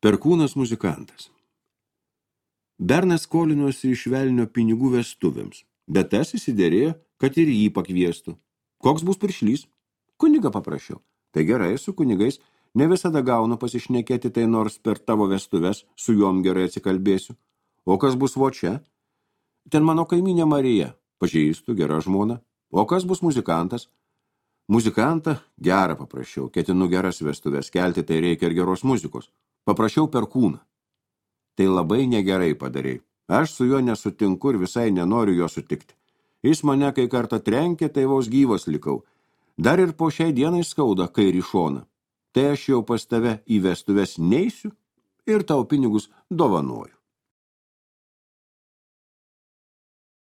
Perkūnas muzikantas. Bernas skolinosi iš velnio pinigų vestuvėms, bet tas įsidėrėjo, kad ir jį pakviestų. Koks bus piršlys? Kunigą paprašiau. Tai gerai, su kunigais ne visada gaunu pasišnekėti, tai nors per tavo vestuves su juom gerai atsikalbėsiu. O kas bus vo čia? Ten mano kaimynė Marija, pažįstu, gera žmona. O kas bus muzikantas? Muzikantą gerą paprašiau, ketinu geras vestuves kelti, tai reikia ir geros muzikos. Paprašiau Perkūną. Tai labai negerai padarei. Aš su juo nesutinku ir visai nenoriu jo sutikti. Jis mane kai kartą trenkė, tai vos gyvas likau. Dar ir po šiai dienai skauda kairį šoną. Tai aš jau pas tave į vestuves neisiu ir tau pinigus dovanoju.